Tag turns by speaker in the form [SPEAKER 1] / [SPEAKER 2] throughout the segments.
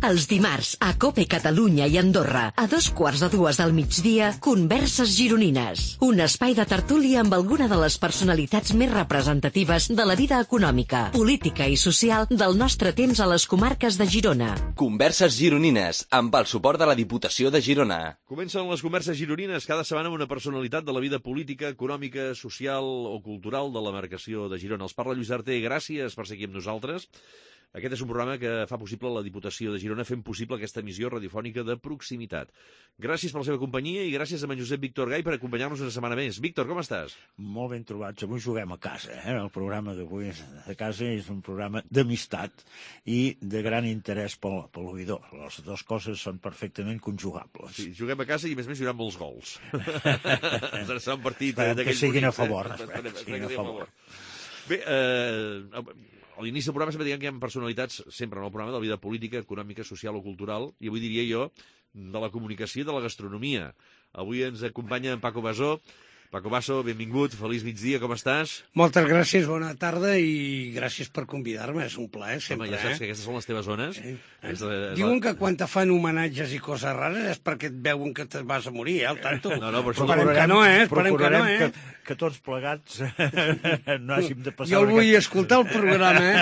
[SPEAKER 1] Els dimarts, a COPE Catalunya i Andorra, a 2:15 del migdia, Converses Gironines. Un espai de tertúlia amb alguna de les personalitats més representatives de la vida econòmica, política i social del nostre temps a les comarques de Girona.
[SPEAKER 2] Converses Gironines, amb el suport de la Diputació de Girona.
[SPEAKER 3] Comencen les Converses Gironines cada setmana amb una personalitat de la vida política, econòmica, social o cultural de la demarcació de Girona. Els parla Lluís Arter, gràcies per ser aquí amb nosaltres. Aquest és un programa que fa possible la Diputació de Girona, fent possible aquesta emissió radiofònica de proximitat. Gràcies per la seva companyia i gràcies a en Josep Víctor Gai per acompanyar-nos una setmana més. Víctor, com estàs?
[SPEAKER 4] Molt ben trobats. Avui juguem a casa. El programa d'avui de casa és un programa d'amistat i de gran interès pel oïdor. Les dues coses són perfectament conjugables.
[SPEAKER 3] Sí, juguem a casa i, a més, hi haurà molts gols. Serà un partit d'aquells
[SPEAKER 4] que siguin a favor.
[SPEAKER 3] Bé, a l'inici del programa sempre diguem que hi ha personalitats, sempre en el programa, de la vida política, econòmica, social o cultural, i avui diria jo de la comunicació i de la gastronomia. Avui ens acompanya en Paco Basó. Paco Basó, benvingut, feliç migdia, com estàs?
[SPEAKER 5] Moltes gràcies, bona tarda i gràcies per convidar-me, és un plaer sempre.
[SPEAKER 3] Home, ja saps que aquestes són les teves zones.
[SPEAKER 5] Diuen que quan te fan homenatges i coses rares és perquè et veuen que te vas a morir, al tanto.
[SPEAKER 3] No, però
[SPEAKER 5] esperem que no, esperem que no,
[SPEAKER 4] que tots plegats no hàgim de passar...
[SPEAKER 5] Jo el vull escoltar el programa,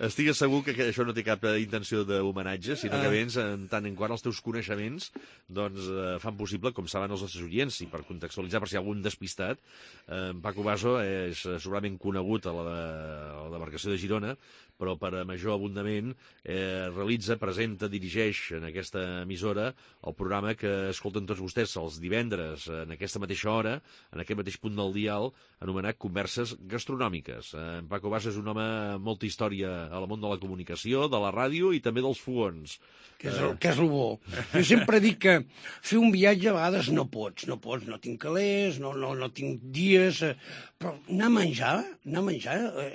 [SPEAKER 3] Estigues segur que això no té cap intenció d'homenatge, sinó que vens en tant en quant els teus coneixements doncs fan possible, com saben els nostres oients, i per contextualitzar, per si hi ha algun despistat, Paco Basó és segurament conegut a la demarcació de Girona, però per a major abundament realitza, presenta, dirigeix en aquesta emissora el programa que escolten tots vostès els divendres en aquesta mateixa hora, en aquest mateix punt del dial, anomenat Converses Gastronòmiques. En Paco Basó és un home amb molta història al món de la comunicació, de la ràdio i també dels fogons.
[SPEAKER 5] Que és el bo. Jo sempre dic que fer un viatge a vegades no pots, no tinc calés, no tinc dies, però anar a menjar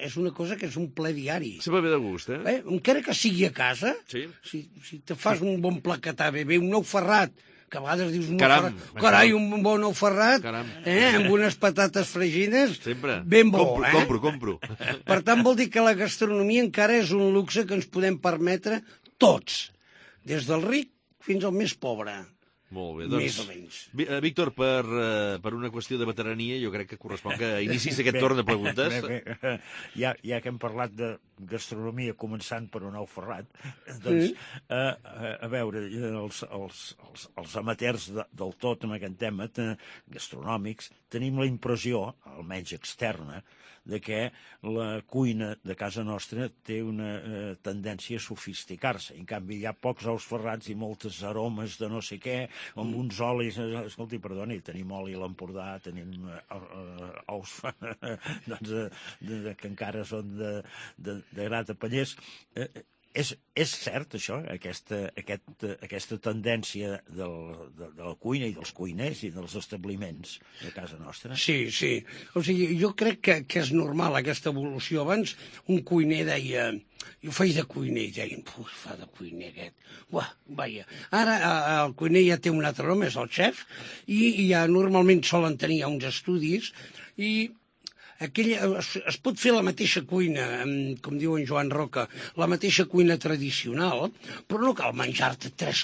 [SPEAKER 5] és una cosa que és un ple diari.
[SPEAKER 3] Sempre ve de gust,
[SPEAKER 5] Encara que sigui a casa,
[SPEAKER 3] sí.
[SPEAKER 5] Si te fas un bon plat que t'ha bé, un ou ferrat, que a vegades dius
[SPEAKER 3] carai,
[SPEAKER 5] un bon ou ferrat, amb unes patates fregines,
[SPEAKER 3] sempre.
[SPEAKER 5] Ben bo,
[SPEAKER 3] Compro.
[SPEAKER 5] Per tant, vol dir que la gastronomia encara és un luxe que ens podem permetre tots, des del ric fins al més pobre.
[SPEAKER 3] Molt bé, doncs...
[SPEAKER 5] Més o menys.
[SPEAKER 3] Víctor, per una qüestió de veterania, jo crec que correspon que inicis aquest torn de preguntes.
[SPEAKER 4] Bé. Ja que hem parlat de gastronomia començant per un ou ferrat, doncs, a veure, els amateurs del tot en aquest tema gastronòmics tenim la impressió, almenys externa, de que la cuina de casa nostra té una tendència a sofisticar-se. En canvi, hi ha pocs ous ferrats i moltes aromes de no sé què, amb uns olis... Escolti, perdoni, tenim oli a l'Empordà, tenim ous que encara són de gra de Pallers... És cert, això, aquesta tendència de la cuina i dels cuiners i dels establiments de casa nostra?
[SPEAKER 5] Sí. O sigui, jo crec que és normal, aquesta evolució. Abans un cuiner deia... Jo faig de cuiner i deien, fa de cuiner aquest. Vaja. Ara el cuiner ja té un altre nom, és el xef, i ja normalment solen tenir uns estudis i... es pot fer la mateixa cuina, com diu en Joan Roca, la mateixa cuina tradicional, però no cal menjar-te 3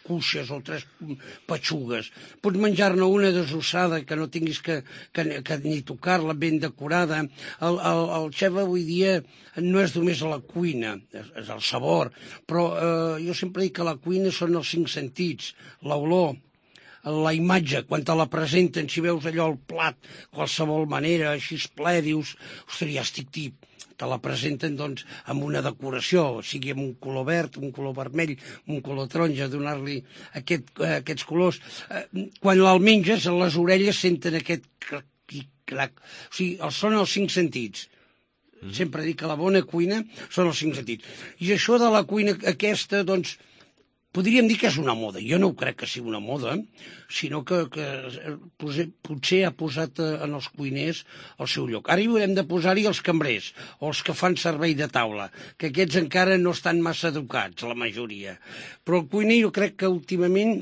[SPEAKER 5] cuixes o 3 petxugues. Pots menjar-ne una desossada que no tinguis que ni tocar-la, ben decorada. El xef avui dia no és només la cuina, és el sabor, però jo sempre dic que la cuina són els 5 sentits, l'olor, la imatge, quan te la presenten, si veus allò al plat, qualsevol manera, així ple, dius, ostres, ja estic tip. Te la presenten, doncs, amb una decoració, sigui amb un color verd, un color vermell, un color taronja, donar-li aquests colors. Quan el menges, les orelles senten aquest crac. O sigui, són els 5 sentits. Sempre dic que la bona cuina són els 5 sentits. I això de la cuina aquesta, doncs, podríem dir que és una moda. Jo no crec que sigui una moda, sinó que potser ha posat en els cuiners el seu lloc. Ara hi haurem de posar-hi els cambrers, o els que fan servei de taula, que aquests encara no estan massa educats, la majoria. Però el cuiner, jo crec que últimament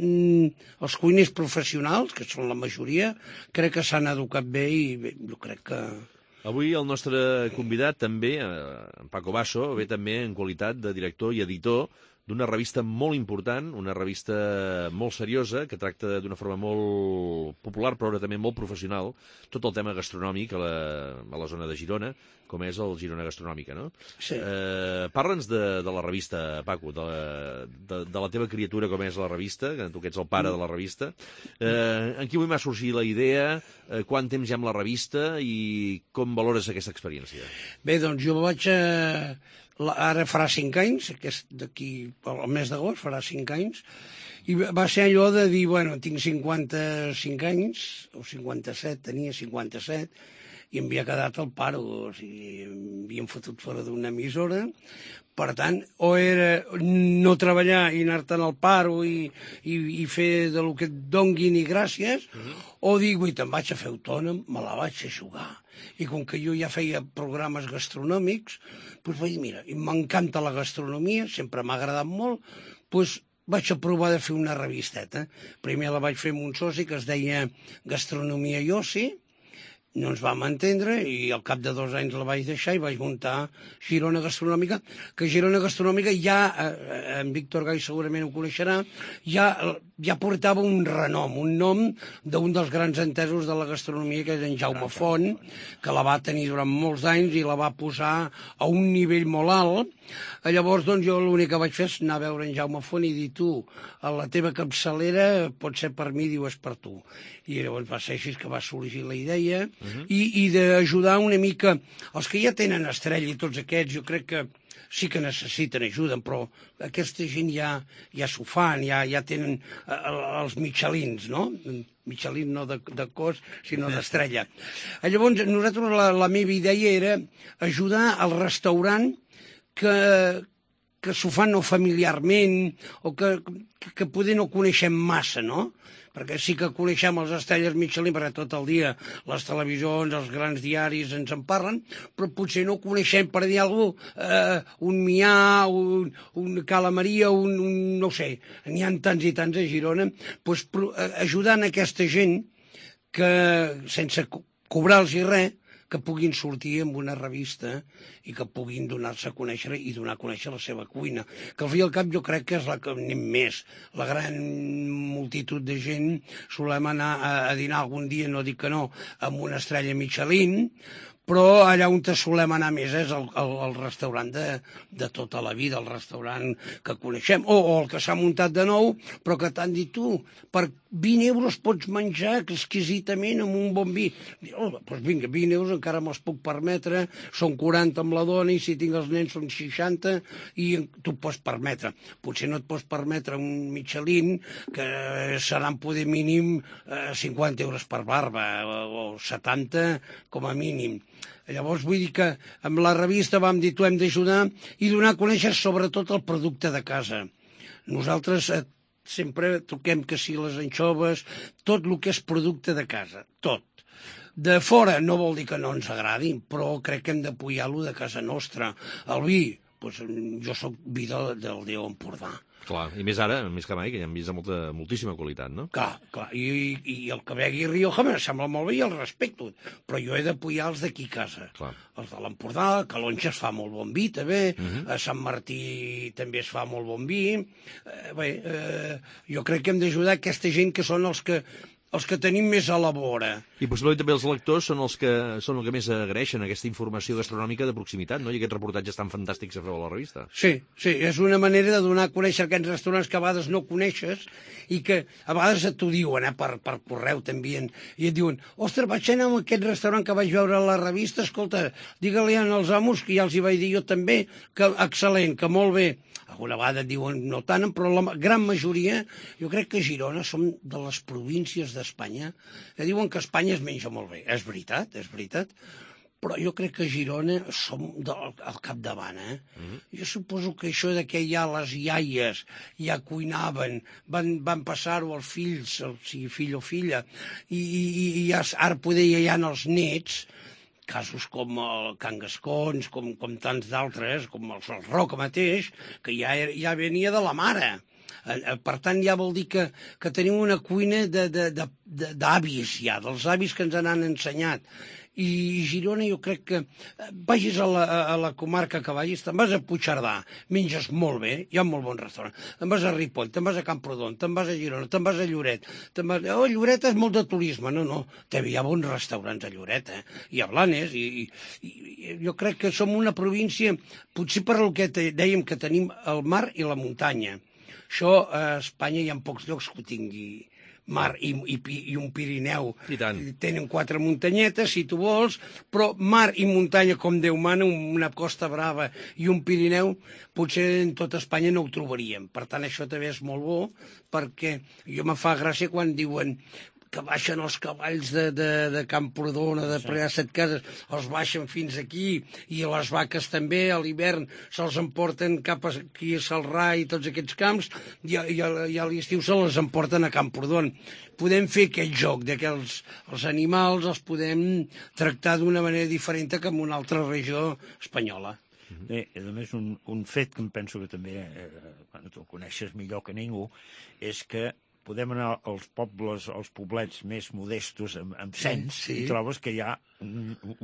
[SPEAKER 5] els cuiners professionals, que són la majoria, crec que s'han educat bé i jo crec que
[SPEAKER 3] Avui el nostre convidat també, en Paco Basso, ve també en qualitat de director i editor d'una revista molt important, una revista molt seriosa, que tracta d'una forma molt popular, però també molt professional, tot el tema gastronòmic a la zona de Girona, com és el Girona Gastronòmica, no?
[SPEAKER 5] Sí.
[SPEAKER 3] Parla'ns de la revista, Paco, de la teva criatura, com és la revista, que tu que ets el pare de la revista. En quin moment va sorgir la idea, quant temps hi ha amb la revista i com valores aquesta experiència?
[SPEAKER 5] Bé, doncs jo vaig... Ara farà 5 anys, d'aquí al mes d'agost farà 5 anys, i va ser allò de dir, bueno, tinc 55 anys, o 57, tenia 57, i em havia quedat al paro, o sigui, em havien fotut fora d'una emissora. Per tant, o era no treballar i anar-te'n al paro i fer del que et donguin i gràcies, o dir, ui, te'n vaig a fer autònom, me la vaig a jugar. I com que jo ja feia programes gastronòmics, doncs vaig dir, mira, m'encanta la gastronomia, sempre m'ha agradat molt, doncs vaig a provar de fer una revisteta. Primer la vaig fer amb un soci que es deia Gastronomia i Oci, no ens vam entendre i al cap de 2 anys la vaig deixar i vaig muntar Girona Gastronòmica, que Girona Gastronòmica ja, en Víctor Gai segurament ho coneixerà, ja portava un renom, un nom d'un dels grans entesos de la gastronomia, que és en Jaume Font, que la va tenir durant molts anys i la va posar a un nivell molt alt. Llavors, doncs, jo l'únic que vaig fer és anar a veure en Jaume Font i dir, tu, a la teva capçalera pot ser per mi, diu, és per tu. I llavors va ser així que va sorgir la idea i d'ajudar una mica els que ja tenen estrella i tots aquests, jo crec que sí que necessiten ajuda, però aquesta gent ja s'ho fan, ja tenen els Michelins, no? Michelin no de cos, sinó d'estrella. Llavors, nosaltres la meva idea era ajudar al restaurant que s'ho fan no familiarment o que poder no coneixem massa, no? Perquè sí que coneixem els estrelles Michelin, perquè tot el dia les televisions, els grans diaris ens en parlen, però potser no coneixem, per dir alguna cosa, un Mià, un Cala Maria, no sé, n'hi ha tants i tants a Girona, doncs ajudant aquesta gent que, sense cobrar-los res, que puguin sortir amb una revista i que puguin donar-se a conèixer i donar a conèixer la seva cuina. Que al fi i al cap jo crec que és la que anem més. La gran multitud de gent solem anar a dinar algun dia, no dic que no, amb una estrella Michelin, però allà on solem anar més és el restaurant de tota la vida, el restaurant que coneixem, o el que s'ha muntat de nou, però que t'han dit tu, per 20 euros pots menjar exquisidament amb un bon vi. Doncs vinga, 20 euros encara me'ls puc permetre, són 40 amb la dona i si tinc els nens són 60 i tu pots permetre. Potser no et pots permetre un Michelin que seran poder mínim 50 euros per barba o 70 com a mínim. Llavors vull dir que amb la revista vam dir tu hem d'ajudar i donar a conèixer sobretot el producte de casa. Nosaltres sempre toquem que si les anxoves, tot el que és producte de casa, tot. De fora no vol dir que no ens agradin, però crec que hem d'apoyar-lo de casa nostra. El vi, doncs jo soc vi del Déu Empordà.
[SPEAKER 3] Clar, i més ara, més que mai, que ja hem vist de moltíssima qualitat, no?
[SPEAKER 5] Clar, i el que vegui Rioja me sembla molt bé i el respecto, però jo he d'apoyar els d'aquí a casa.
[SPEAKER 3] Clar.
[SPEAKER 5] Els de l'Empordà, a Calonja es fa molt bon vi, també, a Sant Martí també es fa molt bon vi. Jo crec que hem d'ajudar aquesta gent que són els que tenim més a la vora.
[SPEAKER 3] I possiblement també els lectors són els que més agraeixen aquesta informació gastronòmica de proximitat, no? I aquests reportatges tan fantàstics que feu a la revista.
[SPEAKER 5] Sí, és una manera de donar a conèixer aquests restaurants que a vegades no coneixes i que a vegades t'ho diuen, per correu t'envien, i et diuen, ostres, vaig anar a aquest restaurant que vaig veure a la revista, escolta, digue-li als amos, que ja els hi vaig dir jo també, que excel·lent, que molt bé. Alguna vegada et diuen no tant, però la gran majoria, jo crec que Girona som de les províncies d'Espanya, que diuen que Espanya es menja molt bé. És veritat, però jo crec que a Girona som al capdavant, Jo suposo que això de que ja les iaies ja cuinaven, van passar-ho als fills, sigui fill o filla, i ara poder ja hi ha els nets, casos com el Can Gascons, com tants d'altres, com el Roca mateix, que ja venia de la mare. Per tant, ja vol dir que tenim una cuina d'avis ja, dels avis que ens han ensenyat. I Girona jo crec que vagis a la comarca que vagis, te'n vas a Puigcerdà, menges molt bé, hi ha molt bon restaurant, te'n vas a Ripoll, te'n vas a Camprodon, te'n vas a Girona, te'n vas a Lloret, Lloret és molt de turisme, no, hi ha bons restaurants a Lloret, i a Blanes, i jo crec que som una província, potser per el que dèiem que tenim el mar i la muntanya. Això a Espanya hi ha pocs llocs que ho tingui mar i un Pirineu.
[SPEAKER 3] I tant.
[SPEAKER 5] Tenen 4 muntanyetes, si tu vols, però mar i muntanya, com Déu mana, una Costa Brava i un Pirineu, potser en tota Espanya no ho trobaríem. Per tant, això també és molt bo, perquè jo me fa gràcia quan diuen que baixen els cavalls de Camprodon, de per allà a Setcases, els baixen fins aquí, i les vaques també, a l'hivern se'ls emporten cap aquí a Celrà i tots aquests camps, i a l'estiu se les emporten a Camprodon. Podem fer aquest joc de que els animals els podem tractar d'una manera diferent que en una altra regió espanyola.
[SPEAKER 4] Bé, a més, un fet que em penso que també, quan tu el coneixes millor que ningú, és que podem anar als pobles, als poblets més modestos amb cens, i trobes que hi ha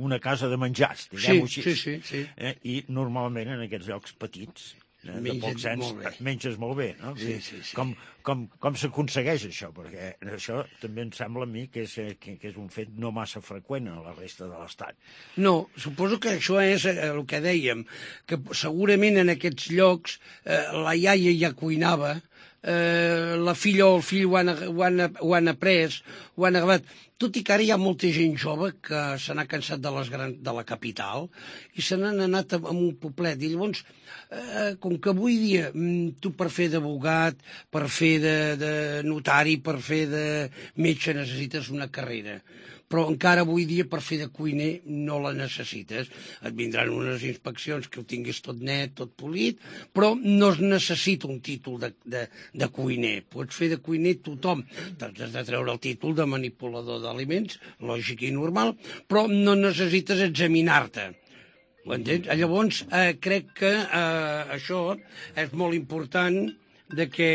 [SPEAKER 4] una casa de menjars, diguem-ho així.
[SPEAKER 5] Sí.
[SPEAKER 4] I normalment en aquests llocs petits, de poc cens, menges molt bé, no?
[SPEAKER 5] Sí.
[SPEAKER 4] Com s'aconsegueix això? Perquè això també em sembla a mi que és un fet no massa freqüent a la resta de l'Estat.
[SPEAKER 5] No, suposo que això és el que dèiem, que segurament en aquests llocs la iaia ja cuinava, la filla o el fill ho han après, ho han agafat. Tot i que ara hi ha molta gent jove que se n'ha cansat de la capital i se n'han anat a un poblet. I llavors, com que avui dia tu per fer d'abogat, per fer de notari, per fer de metge necessites una carrera, però encara avui dia per fer de cuiner no la necessites. Et vindran unes inspeccions que ho tinguis tot net, tot polit, però no es necessita un títol de cuiner. Pots fer de cuiner tothom. Has de treure el títol de manipulador d'aliments, lògic i normal, però no necessites examinar-te. Ho entens? Llavors, crec que això és molt important de que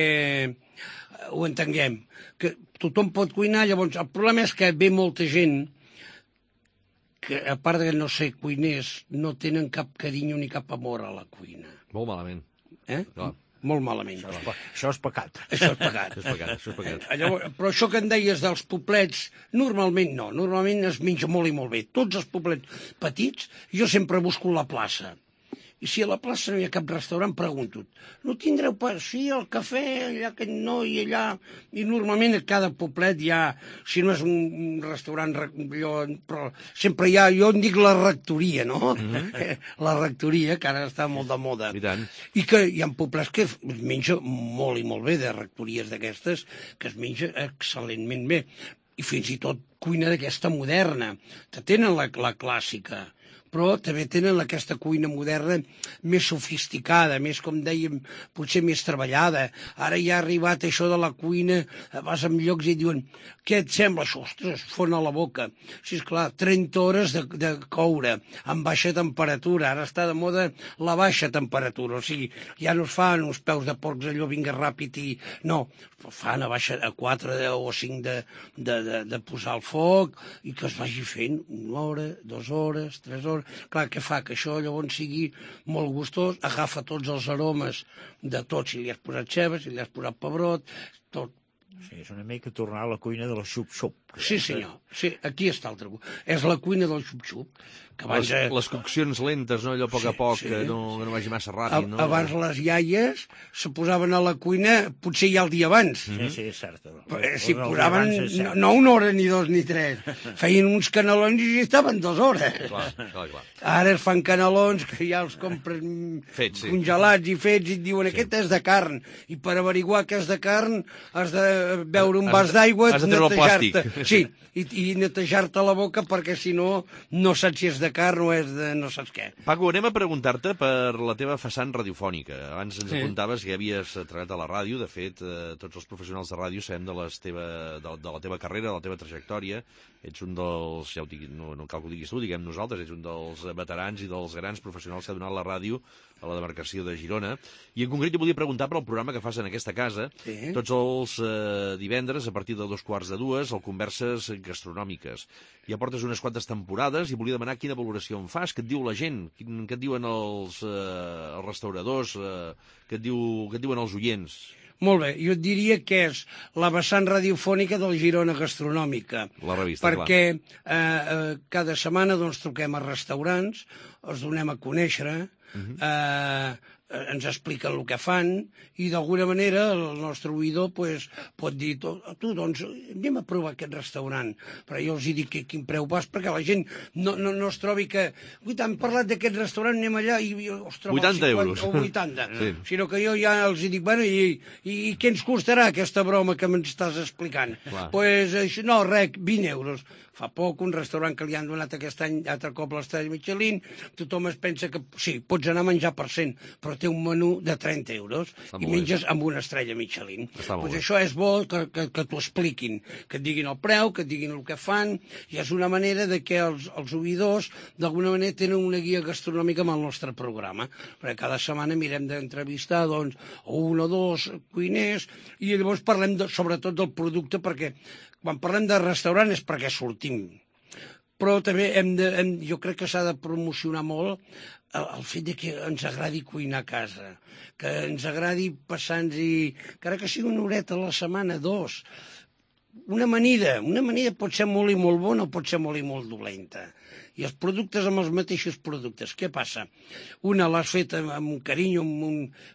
[SPEAKER 5] ho entenguem, que tothom pot cuinar. Llavors el problema és que ve molta gent que, a part de no ser cuiners, no tenen cap carinyo ni cap amor a la cuina.
[SPEAKER 3] Molt malament.
[SPEAKER 5] Clar. Molt malament.
[SPEAKER 4] Això és pecat.
[SPEAKER 5] Això és pecat.
[SPEAKER 3] Això és pecat.
[SPEAKER 5] Llavors, però això que em deies dels poblets, normalment no. Normalment es menja molt i molt bé. Tots els poblets petits, jo sempre busco la plaça. I si a la plaça no hi ha cap restaurant, pregunto, no tindreu pas? Sí, el cafè, allà que no, i allà... I normalment a cada poblet hi ha, si no és un restaurant, però sempre hi ha, jo en dic la rectoria, no? La rectoria, que ara està molt de moda.
[SPEAKER 3] I tant.
[SPEAKER 5] I que hi ha poblets que es menja molt i molt bé, de rectories d'aquestes, que es menja excel·lentment bé. I fins i tot cuina d'aquesta moderna. Tenen la clàssica, però també tenen aquesta cuina moderna més sofisticada, més, com dèiem, potser més treballada. Ara ja ha arribat això de la cuina, vas a llocs i diuen, què et sembla això? Ostres, fon a la boca. Sí, esclar, 30 hores de coure, amb baixa temperatura. Ara està de moda la baixa temperatura, o sigui, ja no es fan uns peus de porcs allò, vinga ràpid i... No, fan a baixa a 4 o 5 de posar al foc i que es vagi fent 1 hora, 2 hores, 3 hores. Clar, què fa? Que això llavors sigui molt gustós, agafa tots els aromes de tot, si li has posat ceba, si li has posat pebrot, tot.
[SPEAKER 4] Sí, és una mica tornar a la cuina de la xup-xup.
[SPEAKER 5] Sí, senyor. Sí, aquí està el truc. És la cuina del xup-xup.
[SPEAKER 3] Les coccions lentes, no? Allò a poc a poc, que no vagi massa ràpid, no?
[SPEAKER 5] Abans les iaies se posaven a la cuina potser ja el dia abans.
[SPEAKER 4] Sí, és cert.
[SPEAKER 5] Si posaven no 1 hora, ni 2, ni 3. Feien uns canelons i estaven 2 hores.
[SPEAKER 3] Clar.
[SPEAKER 5] Ara es fan canelons que ja els compren congelats i fets i et diuen aquest és de carn. I per averiguar que és de carn has de beure un vas d'aigua, netejar-te. Sí, i netejar-te la boca perquè si no, no saps si és de carn o és de no saps què.
[SPEAKER 3] Paco, anem a preguntar-te per la teva vessant radiofònica. Abans ens apuntaves que havies treballat a la ràdio. De fet, tots els professionals de ràdio sabem de la teva carrera, de la teva trajectòria. Ets un dels, ja ho dic, no cal que ho diguis tu, diguem nosaltres, ets un dels veterans i dels grans professionals que ha donat la ràdio a la demarcació de Girona. I en concret jo volia preguntar per el programa que fas en aquesta casa. Tots els divendres, a partir de 2:15, el Conversa diverses gastronòmiques. Ja portes unes quantes temporades i volia demanar quina valoració en fas, què et diu la gent, què et diuen els restauradors, què et diuen els oients.
[SPEAKER 5] Molt bé, jo et diria que és la vessant radiofònica del Girona Gastronòmica.
[SPEAKER 3] La revista,
[SPEAKER 5] perquè cada setmana doncs, truquem a restaurants, els donem a conèixer, ens expliquen el que fan i d'alguna manera el nostre oïdor pues, pot dir tu doncs anem a provar aquest restaurant, però jo els dic quin preu vas perquè la gent no es trobi que han parlat d'aquest restaurant, anem allà i es troba
[SPEAKER 3] 80 euros
[SPEAKER 5] o 80
[SPEAKER 3] sí.
[SPEAKER 5] Sinó que jo ja els dic bueno, i què ens costarà aquesta broma que m'estàs explicant? Pues, no, res, 20 euros. Fa poc, un restaurant que li han donat aquest any altre cop l'estrella Michelin, tothom es pensa que sí, pots anar a menjar per 100, però té un menú de 30 euros i menges amb una estrella Michelin. Pues això és bo que t'ho expliquin, que et diguin el preu, que et diguin el que fan, i és una manera de que els oïdors d'alguna manera tenen una guia gastronòmica amb el nostre programa, perquè cada setmana mirem d'entrevistar doncs, un o dos cuiners i llavors parlem sobretot del producte, perquè quan parlem de restaurant és perquè sortim. Però també jo crec que s'ha de promocionar molt el fet de que ens agradi cuinar a casa, que ens agradi passar-nos-hi, encara que sigui una horeta a la setmana, 2. Una amanida pot ser molt i molt bona o pot ser molt i molt dolenta. I els productes amb els mateixos productes. Què passa? Una l'has fet amb un carinyo,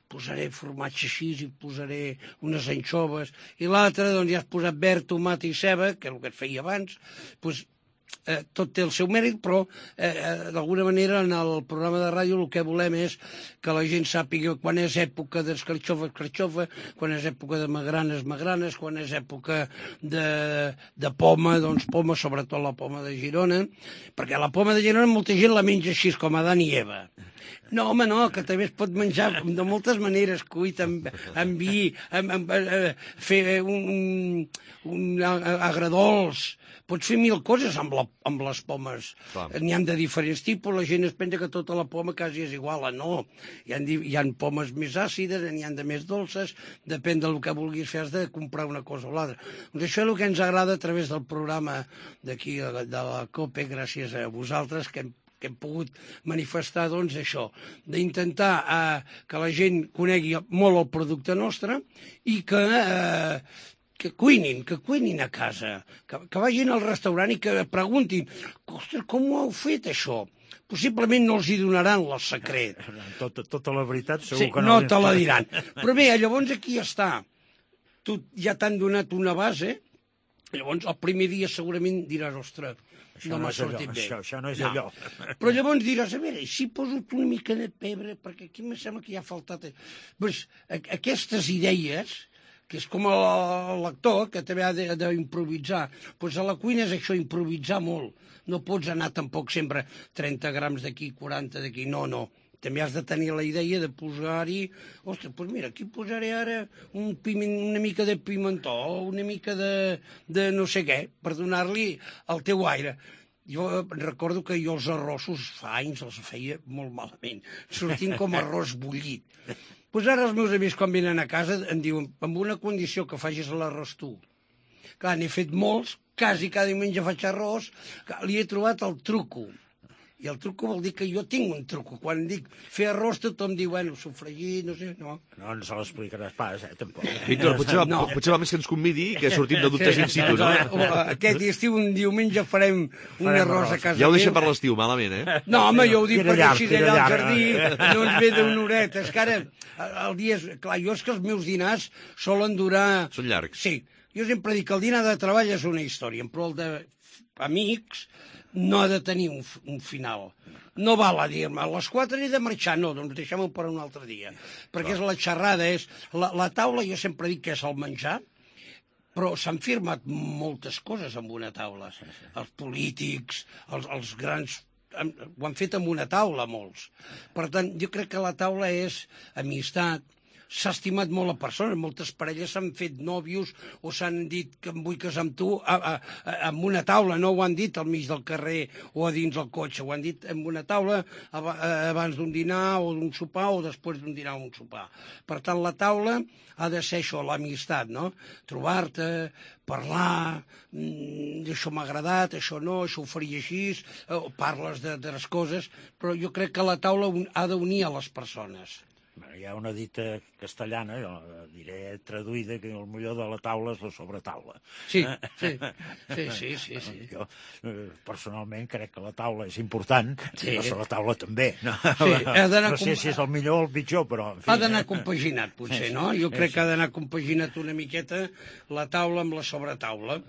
[SPEAKER 5] posaré formatge així i posaré unes anxoves, i l'altra doncs ja has posat verd, tomata i ceba, que és el que et feia abans, doncs tot té el seu mèrit, però d'alguna manera en el programa de ràdio el que volem és que la gent sàpiga quan és època d'escarxofa, escarxofa, quan és època de magranes, magranes, quan és època de poma, doncs poma, sobretot la poma de Girona, perquè la poma de Girona molta gent la menja així com Adán i Eva. No, home, no, que també es pot menjar de moltes maneres, cuit amb vi, fer un agradols. Pots fer 1000 coses amb les pomes. N'hi ha de diferents tipus, la gent es pensa que tota la poma quasi és igual. No, hi ha pomes més àcides, n'hi ha de més dolces, depèn del que vulguis fer, has de comprar una cosa o l'altra. Doncs això és el que ens agrada a través del programa d'aquí, de la COPE, gràcies a vosaltres, que hem pogut manifestar, doncs, això, d'intentar que la gent conegui molt el producte nostre i que cuinin a casa, que vagin al restaurant i que preguntin, ostres, com ho heu fet, això? Possiblement no els hi donaran el secret.
[SPEAKER 4] Tota la veritat segur que
[SPEAKER 5] no te la diran. Però bé, llavors aquí està. Tu ja t'han donat una base, llavors el primer dia segurament diràs, ostres, no m'ha sortit bé.
[SPEAKER 4] Això no és allò.
[SPEAKER 5] Però llavors diràs, a veure, si poso una mica de pebre, perquè aquí em sembla que ja ha faltat... Pues, aquestes idees, que és com l'actor, que també ha d'improvisar, doncs a la cuina és això, improvisar molt. No pots anar tampoc sempre 30 grams d'aquí, 40 d'aquí, no. També has de tenir la idea de posar-hi... Ostres, doncs mira, aquí posaré ara una mica de pimentó, una mica de no sé què, per donar-li el teu aire. Jo recordo que jo els arrossos fa anys els feia molt malament, sortint com arròs bullit. Doncs ara els meus amics quan venen a casa em diuen, amb una condició, que facis l'arròs tu. Clar, n'he fet molts, quasi cada diumenge faig arròs, li he trobat el truco. I el truco vol dir que jo tinc un truco. Quan dic fer arròs, tothom diu, bueno, sofregit, no sé, no.
[SPEAKER 4] No se l'explicaràs pas, tampoc.
[SPEAKER 3] Víctor, potser va més que ens convidi, que sortim de dubtes in situ, no?
[SPEAKER 5] Aquest estiu, un diumenge, farem un arròs a casa.
[SPEAKER 3] Ja ho deixem per l'estiu, malament, eh?
[SPEAKER 5] No, home, jo ho dic perquè així allà al jardí no ens ve d'una horeta. És que ara, el dia... Clar, jo és que els meus dinars solen durar...
[SPEAKER 3] Són llargs.
[SPEAKER 5] Sí. Jo sempre dic que el dinar de treball és una història, però el d'amics no ha de tenir un final. No val a dir-me, a les 4 he de marxar, no, doncs deixem-ho per un altre dia. Perquè és la xerrada, és... La taula, jo sempre dic que és el menjar, però s'han firmat moltes coses amb una taula. Els polítics, els grans... Ho han fet amb una taula, molts. Per tant, jo crec que la taula és amistat, s'ha estimat molt la persona. Moltes parelles s'han fet nòvios o s'han dit que em vull casar amb tu amb una taula. No ho han dit al mig del carrer o a dins del cotxe. Ho han dit en una taula abans d'un dinar o d'un sopar o després d'un dinar o un sopar. Per tant, la taula ha de ser això, l'amistat, no? Trobar-te, parlar, això m'ha agradat, això no, això ho faria així, parles de les coses, però jo crec que la taula ha d'unir a les persones.
[SPEAKER 4] Hi ha una dita castellana, jo diré traduïda, que el millor de la taula és la sobretaula.
[SPEAKER 5] Sí.
[SPEAKER 4] Jo personalment crec que la taula és important, i la sobretaula també. No sé si és el millor o el pitjor, però...
[SPEAKER 5] Ha d'anar compaginat, potser, no? Jo crec que ha d'anar compaginat una miqueta la taula amb la sobretaula.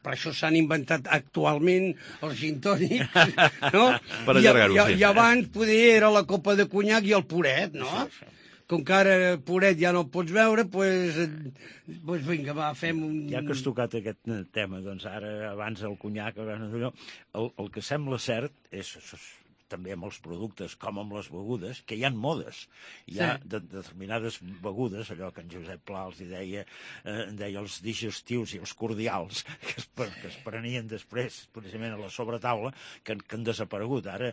[SPEAKER 5] Per això s'han inventat actualment els gin tònics, no?
[SPEAKER 3] Per allargar-ho, sí.
[SPEAKER 5] I abans poder era la copa de conyac i el puret, no?
[SPEAKER 4] Sí.
[SPEAKER 5] Com que ara el puret ja no el pots veure, doncs vinga, va, fem un...
[SPEAKER 4] Ja que has tocat aquest tema, doncs ara, abans el conyac, el que sembla cert és també amb els productes com amb les begudes, que hi ha modes. Hi ha determinades begudes, allò que en Josep Pla els deia els digestius i els cordials, que es prenien després, precisament a la sobretaula, que han desaparegut. Ara,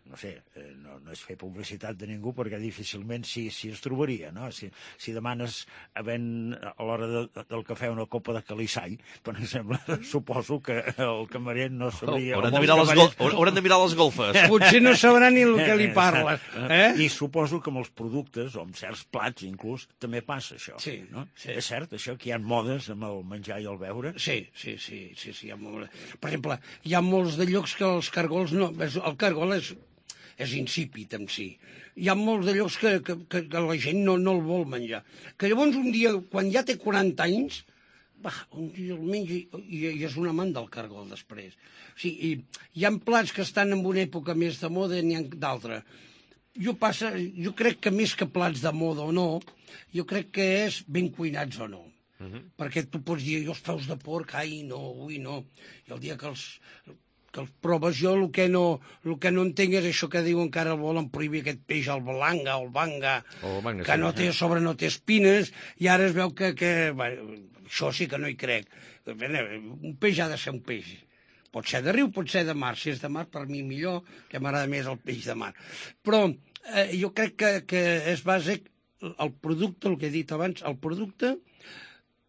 [SPEAKER 4] no sé, no és fer publicitat de ningú, perquè difícilment s'hi es trobaria, no? Si demanes a l'hora del cafè una copa de calissall, per exemple, suposo que el camarer no sabria...
[SPEAKER 3] Hauran de mirar les golfes.
[SPEAKER 5] Potser no sabrà ni el que li parles.
[SPEAKER 4] I suposo que amb els productes, o amb certs plats inclús, també passa això.
[SPEAKER 5] Sí,
[SPEAKER 4] no?
[SPEAKER 5] Sí.
[SPEAKER 4] És cert, això, que hi ha modes amb el menjar i el beure?
[SPEAKER 5] Sí. Hi ha molt... Per exemple, hi ha molts de llocs que els cargols no... El cargol és insípid en si. Hi ha molts de llocs que la gent no el vol menjar. Que llavors un dia, quan ja té 40 anys, un dia el menja i és un amant del cargol després. O sigui, hi ha plats que estan en una època més de moda i n'hi ha d'altra. Jo crec que més que plats de moda o no, jo crec que és ben cuinats o no. Perquè tu pots dir, jo els peus de porc, no, avui no. I el dia que els proves, jo el que no entenc és això que diuen que ara el volen prohibir, aquest peix, el balanga o el banga, que no té, a sobre no té espines, i ara es veu que això sí que no hi crec. Un peix ha de ser un peix. Pot ser de riu, pot ser de mar. Si és de mar, per mi millor, que m'agrada més el peix de mar. Però jo crec que és bàsic el producte, el que he dit abans, el producte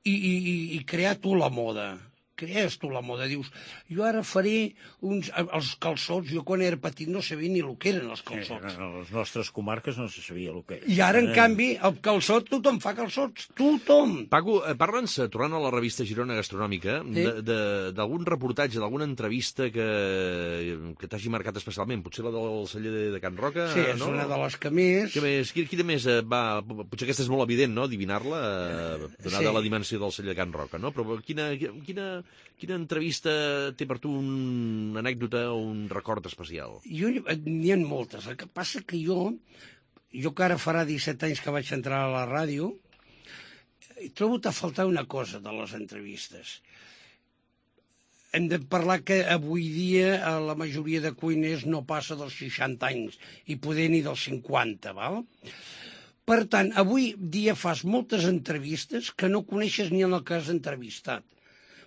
[SPEAKER 5] i crear tu la moda. Crees tu la moda, dius, jo ara faré els calçots, jo quan era petit no sabia ni el que eren els calçots.
[SPEAKER 4] A les nostres comarques no se sabia el que era.
[SPEAKER 5] I ara, en canvi, el calçot, tothom fa calçots, tothom.
[SPEAKER 3] Paco, parla'ns, tornant a la revista Girona Gastronòmica, d'algun reportatge, d'alguna entrevista que t'hagi marcat especialment, potser la del celler de Can Roca?
[SPEAKER 5] Sí, és una de les que més...
[SPEAKER 3] Quina més va... Potser aquesta és molt evident, no?, adivinar-la, donada la dimensió del celler de Can Roca, no? Però quina entrevista té per tu una anècdota o un record especial?
[SPEAKER 5] N'hi ha moltes. El que passa que jo que ara farà 17 anys que vaig entrar a la ràdio, he trobat a faltar una cosa de les entrevistes. Hem de parlar que avui dia la majoria de cuiners no passa dels 60 anys i poder ni dels 50, val? Per tant, avui dia fas moltes entrevistes que no coneixes ni en el que has entrevistat,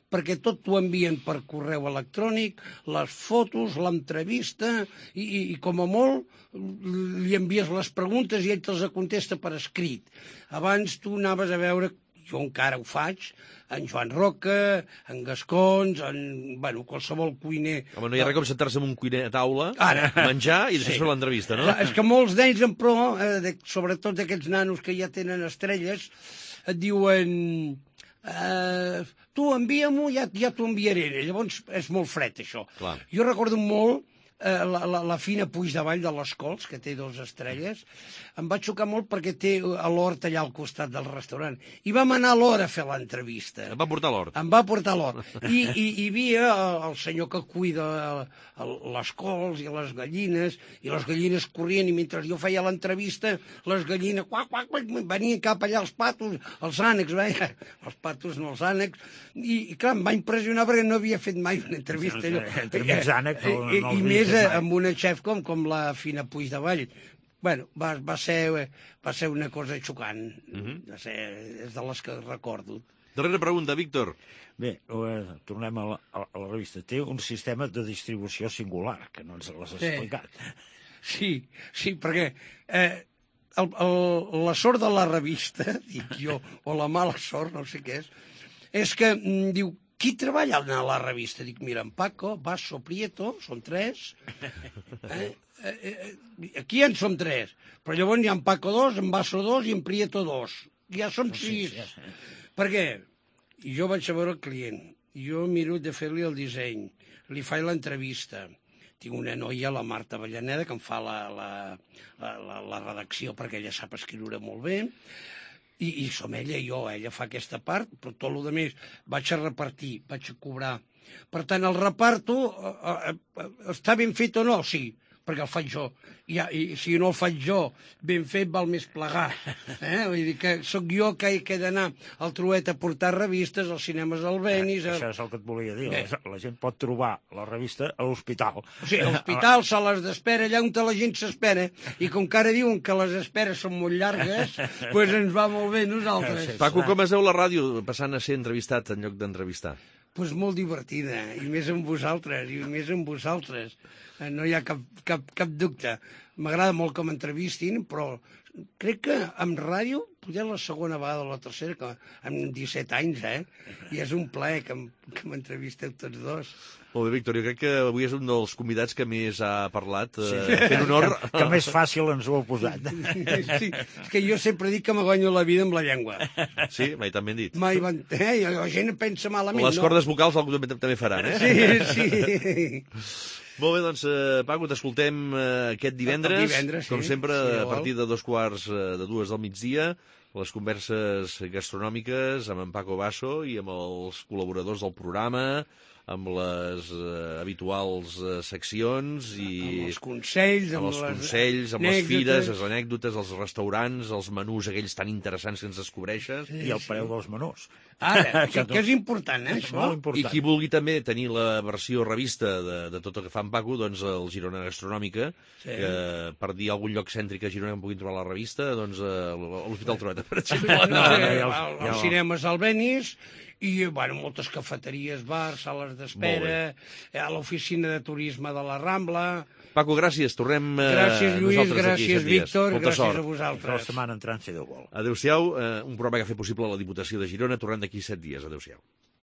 [SPEAKER 5] perquè tot t'ho envien per correu electrònic, les fotos, l'entrevista, i com a molt li envies les preguntes i ell te'ls contesta per escrit. Abans tu anaves a veure, jo encara ho faig, en Joan Roca, en Gascons, qualsevol cuiner...
[SPEAKER 3] Home, no hi ha res com sentar-se amb un cuiner a taula, menjar i després fer l'entrevista, no?
[SPEAKER 5] És que molts d'ells, però, sobretot d'aquests nanos que ja tenen estrelles, et diuen... tu envia-m'ho, ja t'ho enviaré. Llavors és molt fred, això.
[SPEAKER 3] Clar.
[SPEAKER 5] Jo recordo molt la Fina Puigdevall de les Cols, que té 2 estrelles. Em va xocar molt perquè té l'hort allà al costat del restaurant. I vam anar a l'hort a fer l'entrevista.
[SPEAKER 3] Em va portar l'hort.
[SPEAKER 5] Em va portar l'hort. I hi havia el senyor que cuida les cols i les gallines corrien, i mentre jo feia l'entrevista, les gallines venien cap allà els patos, els ànecs, els patos no els ànecs, i clar, em va impressionar perquè no havia fet mai una entrevista.
[SPEAKER 4] Entre més ànecs
[SPEAKER 5] I més amb una xef com la Fina Puigdevall, Bueno, va ser una cosa xocant. Va ser, és de les que recordo.
[SPEAKER 3] Darrera pregunta, Víctor.
[SPEAKER 4] Bé, tornem a la revista. Té un sistema de distribució singular, que no ens l'has explicat.
[SPEAKER 5] Sí, perquè la sort de la revista, dic jo, o la mala sort, no sé què és que diu, qui treballa a la revista? Dic, mira, en Paco, Basso, Prieto, són 3. Aquí en som 3, però llavors hi ha en Paco 2, en Basso 2 i en Prieto 2. Ja som 6. Per què? Jo vaig a veure el client, jo miro de fer-li el disseny, li faig l'entrevista. Tinc una noia, la Marta Avellaneda, que em fa la redacció perquè ella sap escriure molt bé, i som ella i jo, ella fa aquesta part, però tot el que més vaig a repartir, vaig a cobrar. Per tant, el reparto està ben fet o no? Sí, perquè el faig jo. I si no el faig jo, ben fet val més plegar. Vull dir que sóc jo que he d'anar al Trueta a portar revistes, als cinemes Albéniz...
[SPEAKER 4] Això és el que et volia dir. La gent pot trobar la revista a l'hospital.
[SPEAKER 5] O sigui, a l'hospital, sales d'espera, allà on la gent s'espera, i com que ara diuen que les esperes són molt llargues, doncs ens va molt bé nosaltres.
[SPEAKER 3] Paco, com es veu la ràdio passant a ser entrevistat en lloc d'entrevistar?
[SPEAKER 5] Doncs molt divertida, i més amb vosaltres, no hi ha cap dubte. M'agrada molt que m'entrevistin, però crec que amb ràdio, potser la segona vegada o la tercera, que amb 17 anys, i és un plaer que m'entrevisteu tots dos.
[SPEAKER 3] Molt bé, Víctor, jo crec que avui és un dels convidats que més ha parlat, fent honor...
[SPEAKER 4] Que més fàcil ens ho heu posat.
[SPEAKER 5] Sí, és que jo sempre dic que me guanyo la vida amb la llengua.
[SPEAKER 3] Sí, mai tan ben dit.
[SPEAKER 5] Mai van... La gent pensa malament,
[SPEAKER 3] les cordes vocals algú també faran,
[SPEAKER 5] Sí.
[SPEAKER 3] Molt bé, doncs, Paco, t'escoltem aquest divendres, com sempre, a partir de 2:45 del migdia, les converses gastronòmiques amb en Paco Basso i amb els col·laboradors del programa, amb les habituals seccions i...
[SPEAKER 5] Amb els consells,
[SPEAKER 3] amb les fires, les anècdotes, els restaurants, els menús aquells tan interessants que ens descobreixes.
[SPEAKER 4] I el preu dels menús.
[SPEAKER 5] Ara, que és important, això.
[SPEAKER 4] Molt important.
[SPEAKER 3] I qui vulgui també tenir la versió revista de tot el que fa en Paco, doncs el Girona Gastronòmica, que per dir algun lloc cèntric a Girona que puguin trobar la revista, doncs a l'Hospital Trueta, per exemple.
[SPEAKER 5] Els cinemes Albéniz, i, moltes cafeteries, bars, sales d'espera, a l'oficina de turisme de la Rambla...
[SPEAKER 3] Paco, gràcies. Tornem
[SPEAKER 5] gràcies, Lluís, gràcies, Víctor, gràcies a vosaltres.
[SPEAKER 4] La setmana entrant, si Déu vol.
[SPEAKER 3] Adéu-siau, un programa que ha fet possible la Diputació de Girona. Tornem d'aquí 7 dies. Adéu-siau.